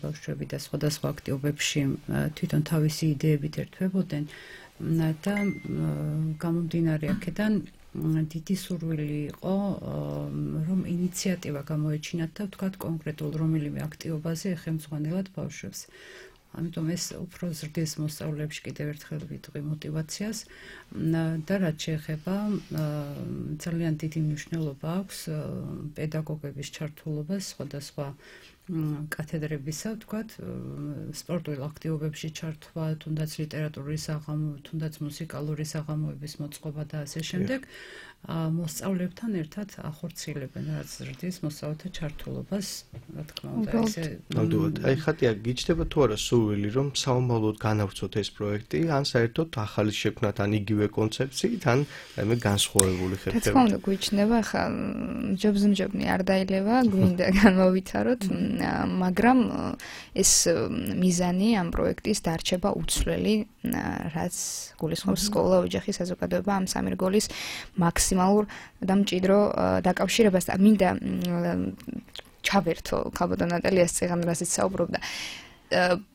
ბავშვები და სხვადასხვა აქტივობებში თვითონ თავისი იდეებით ერთვებოდნენ და გამომდინარე აქედან დიდი სურვილი იყო, რომ ინიციატივა გამოეჩინათ და ვთქვათ კონკრეტულ რომელიმე აქტივობაზე ეხემძღვანელად ბავშვებს. ამიტომ ეს უფრო ზრდის მოსწავლეებში კიდევ ერთხელ ვიტყვი მოტივაციას და რაც შეეხება ძალიან დიდი მნიშვნელობა აქვს პედაგოგების ჩართულობას სხვადასხვა კათედრებისა, ვთქვათ, სპორტულ აქტივობებში ჩართვა, თუნდაც ლიტერატურის საღამო, თუნდაც მუსიკალური საღამოების მოწყობა და ასე შემდეგ. მოსწავლეებთან ერთად ახორციელებენ რაც ზრდის მოსწავლეთა ჩართულობას, რა თქმა უნდა, ესე ნამდვილად. აი ხატია გიჩნდება თუ არა სურვილი, რომ საომალოდ განავრცოთ ეს პროექტი, ან საერთოდ ახალი შექმნათ, ან იგივე კონცეფციით, ან რაიმე განსხვავებული ხერხებით. რა თქმა უნდა, გვიჩნდება ხა ჯობზმჯობნი არ დაილევა, გვინდა განმოვითაროთ, მაგრამ ეს მიზანი ამ პროექტის დარჩება უცვლელი, რაც გულისხმობს სკოლა, ოჯახი, საზოგადოება ამ სამი რგოლის მაქსიმალურ და მჭიდრო დაკავშირებას და მინდა ჩავერთო ქალბატონ ნატალიას წეგან რასაც საუბრობდა.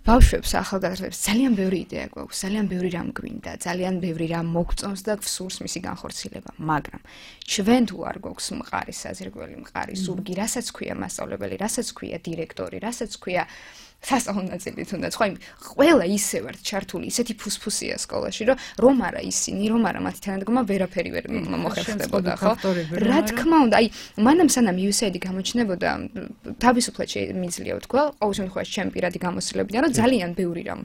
ბავშვებს, ახალგაზრდებს ძალიან ბევრი იდეა გვაქვს, ძალიან ბევრი რამ გვინდა, ძალიან ბევრი რამ მოგწონს და გვსურს მისი განხორციელება, მაგრამ ჩვენ თუ არ გვაქვს მყარი საზრგველი, მყარი ზურგი, რასაც ქვია მასწავლებელი, რასაც ქვია დირექტორი, რასაც ქვია სასწავლო ნაწილი თუნდაც, ხო, ყველა ისე ვართ ჩართული, ისეთი ფუსფუსია სკოლაში, რომ რომ არა ისინი, რომ არა მათი თანადგომა ვერაფერი ვერ მოხერხდებოდა, ხო? რა თქმა უნდა, აი, მანამ სანამ იუ ეს ეი აი გამოჩნდებოდა, თავისუფლად შემიძლია ვთქვა, ყოველ შემთხვევაში ჩემი პირადი გამოცდილებიდან, რომ ძალიან ბევრი რამ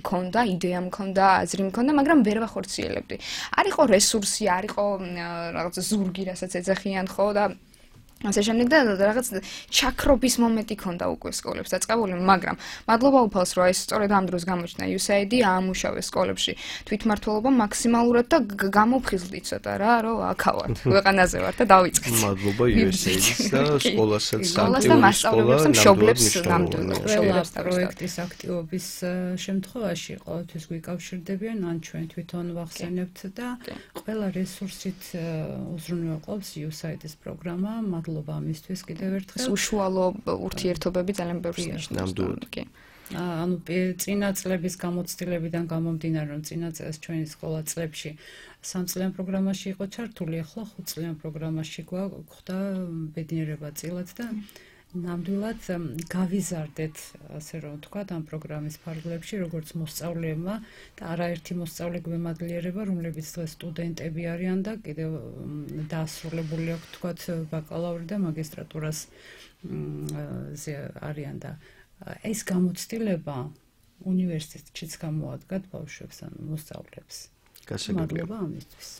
მქონდა, იდეა მქონდა, აზრი მქონდა, მაგრამ ვერ ვახორციელებდი. არ იყო რესურსი, არ იყო რაღაც ზურგი, რასაც ეძახიან, ხო, და ასე შემდეგ და რაღაც ჩაქრობის მომენტი ქონდა უკვე სკოლებს დაწყებული, მაგრამ მადლობა უფალს, რომ ეს სწორედ ამ დროს გამოჩნდა იუ ეს ეი აი, აამუშავეს სკოლებში თვითმმართველობა მაქსიმალურად და გამოფხიზლდით ცოტა რა, რომ აქავართ, ქვეყანაზე ვართ და დავიწყეთ. მადლობა იუ ეს ეი აის და სკოლასაც სკოლას და მასწავლებელს და მშობლებს ნამდვილად პროექტის აქტივობის შემთხვევაში ყოველთვის გვიკავშირდებიან, ან ჩვენ თვითონ ვახსენებთ და ყველა რესურსით უზრუნველყოფს იუ ეს ეი აის პროგრამა. მადლობა ამისთვის კიდევ ერთხელ. უშუალო ურთიერთობები ძალიან ბევრს ნიშნავს. ნამდვილად. ანუ წინა წლების გამოცდილებიდან გამომდინარე, რომ წინა წელს ჩვენი სკოლა წლებში სამწლიან პროგრამაში იყო ჩართული, ახლა ხუთწლიან პროგრამაში გვაქვს ბედნიერება წილად და ნამდვილად გავიზარდეთ, ასე რომ ვთქვათ, ამ პროგრამის ფარგლებში, როგორც მოსწავლეებმა და არაერთი მოსწავლე გვემადლიერება, რომლებიც დღეს სტუდენტები არიან და კიდევ დაასრულებული აქვს, ვთქვათ, ბაკალავრი და მაგისტრატურას არიან და ეს გამოცდილება უნივერსიტეტშიც გამოადგათ ბავშვებს ან მოსწავლეებს. მადლობა ამისთვის.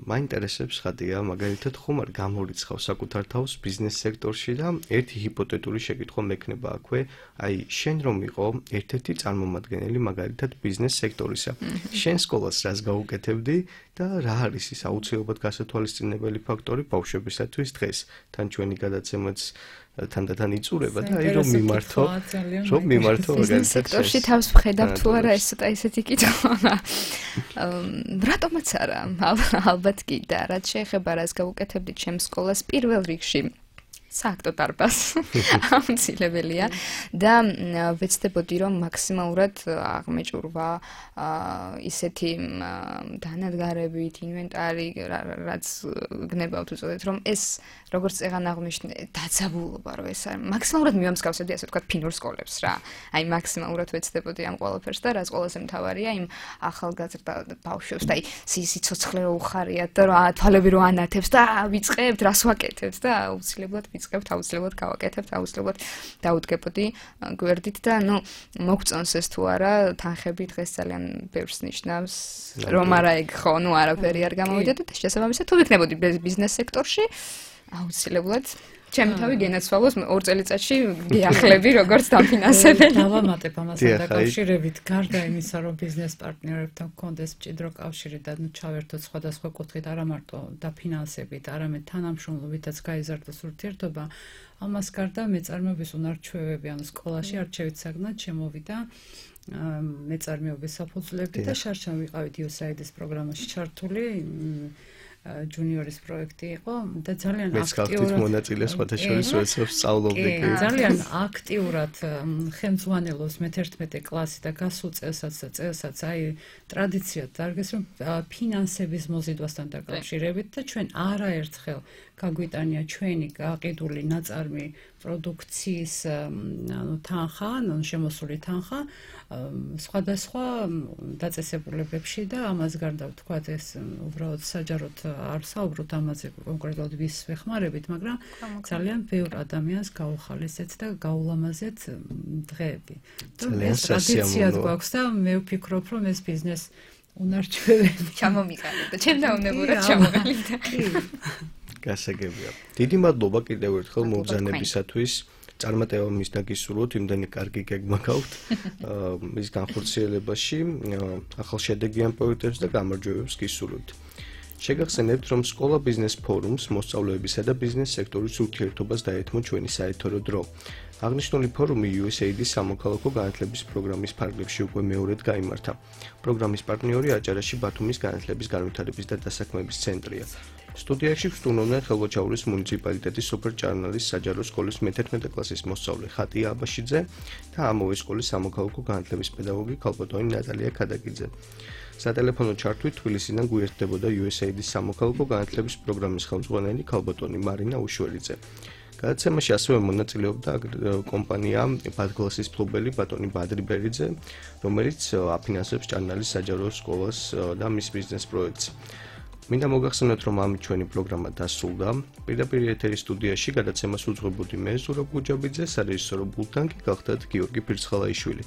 მაინტერესებს ხადია, მაგალითად ხომ არ გამორიცხავ საკუთარ თავს ბიზნეს სექტორში და ერთი ჰიპოთეტური შეკითხვა მექნება აქვე, აი შენ რომ იყო ერთ-ერთი წარმომადგენელი მაგალითად ბიზნეს სექტორისა. შენ სკოლას რას გაუკეთებდი და რა არის ის აუცილებლად გასათვალისწინებელი ფაქტორი ბავშვებისათვის დღეს თან ჩვენი გადაცემაც თანდათან იწურება და აი რომ მიმართო რომ მიმართო ბიზნეს სექტორში თავს ვხედავ თუ არა ეს ცოტა ისეთი კითხვა რატომაც არა ალბათ კი და რაც შეეხება რას გავუკეთებდით ჩემს სკოლას პირველ რიგში სააქტო დარბაზს აუცილებელია და ვეცდებოდი რომ მაქსიმალურად აღმეჭურვა ისეთი დანადგარებით ინვენტარი რაც გნებავთ უწოდეთ რომ ეს როგორც წეგან აღნიშნე დაძაბულობა რომ ეს არის მაქსიმალურად მივამსგავსებდი ასე ვთქვათ ფინურ სკოლებს რა აი მაქსიმალურად ვეცდებოდი ამ ყველაფერს და რაც ყველაზე მთავარია იმ ახალგაზრდა ბავშვებს და აი სიცოცხლე რო უხარიათ და რა თვალები რო ანათებს და ვიწყებთ რას ვაკეთებთ და აუცილებლად ვიწყებთ აუცილებლად გავაკეთებთ აუცილებლად დაუდგებოდი გვერდით და ნუ მოგწონს ეს თუ არა თანხები დღეს ძალიან ბევრს ნიშნავს რომ არა ეგ ხო ნუ არაფერი არ გამოვიდა და შესაბამისად თუ ვიქნებოდი ბიზნეს სექტორში აუცილებლად ჩემი თავი გენაცვალოს ორ წელიწადში გიახლები როგორც დაფინანსებელი. დავამატებ ამასთან დაკავშირებით, გარდა იმისა, რომ ბიზნეს პარტნიორებთან გქონდეს მჭიდრო კავშირი და ჩავერთოთ სხვადასხვა კუთხით, არა მარტო დაფინანსებით, არამედ თანამშრომლობითაც გაიზარდოს ურთიერთობა, ამას გარდა მეწარმეობის უნარჩვევები, ანუ სკოლაში არჩევით საგნად შემოვიდა მეწარმეობის საფუძვლები და შარშან ვიყავით იუ ეს აი დი-ის პროგრამაში ჩართული. ჯუნიორის პროექტი იყო და ძალიან აქტიურად მონაწილე სხვათა შორის როდესაც სწავლობდი. ძალიან აქტიურად ხელმძღვანელობს მეთერთმეტე კლასი და გასულ წელსაც და წელსაც აი ტრადიციად დარგეს რომ ფინანსების მოზიდვასთან დაკავშირებით და ჩვენ არაერთხელ გაგვიტანია ჩვენი გაყიდული ნაწარმი პროდუქციის ანუ თანხა, ანუ შემოსული თანხა სხვადასხვა დაწესებულებებში და ამას გარდა ვთქვათ ეს უბრალოდ საჯაროდ არ საუბრობთ ამაზე კონკრეტულად ვის ვეხმარებით, მაგრამ ძალიან ბევრ ადამიანს გაუხალისეთ და გაულამაზეთ დღეები. ძალიან ტრადიციად გვაქვს და მე ვფიქრობ რომ ეს ბიზნეს უნარჩვევები ჩამომიყალიბდა და ჩემ დაუნებურად ჩამომიყალიბდა. გასაგებია. დიდი მადლობა კიდევ ერთხელ მობრძანებისათვის. წარმატება მის დაგისურვოთ, იმდენი კარგი გეგმა გაქვთ მის განხორციელებაში, ახალშედეგიან პროექტებს და გამარჯვებებს გისურვებთ. შეგახსენებთ, რომ სკოლა ბიზნეს ფორუმს მოსწავლეებისა და ბიზნეს სექტორის ურთიერთობას დაეთმო ჩვენი საეთერო დრო. აღნიშნული ფორუმი იუ ეს ეი დი-ის სამოქალაქო განათლების პროგრამის ფარგლებში უკვე მეორედ გაიმართა. პროგრამის პარტნიორი აჭარაში ბათუმის განათლების განვითარების და დასაქმების ცენტრია. სტუდიაში ვსტუმრობდნენ ხელვაჩაურის მუნიციპალიტეტის სოფელ ჭარნალის საჯარო სკოლის მეთერთმეტე კლასის მოსწავლე ხატია აბაშიძე და ამავე სკოლის სამოქალაქო განათლების პედაგოგი ქალბატონი ნატალია ქადაგიძე. სატელეფონო ჩართვით თბილისიდან გვერდებოდა იუ ეს ეი დი-ის სამოქალაქო განათლების პროგრამის ხელმძღვანელი ქალბატონი მარინა უშველიძე. გადაცემაში ასევე მონაწილეობდა კომპანია ბადგლასის ფლობელი ბატონი ბადრი ბერიძე, რომელიც აფინანსებს ჭარნალის საჯარო სკოლას და მის ბიზნეს პროექტს. მინდა მოგახსენოთ, რომ ამით ჩვენი პროგრამა დასრულდა. პირდაპირ ეთერის სტუდიაში გადაცემას უძღვებოდი მე ზურაბ გუჯაბიძე, სარეჟისორო ბულტანკი გახდათ გიორგი ფირცხალაიშვილი.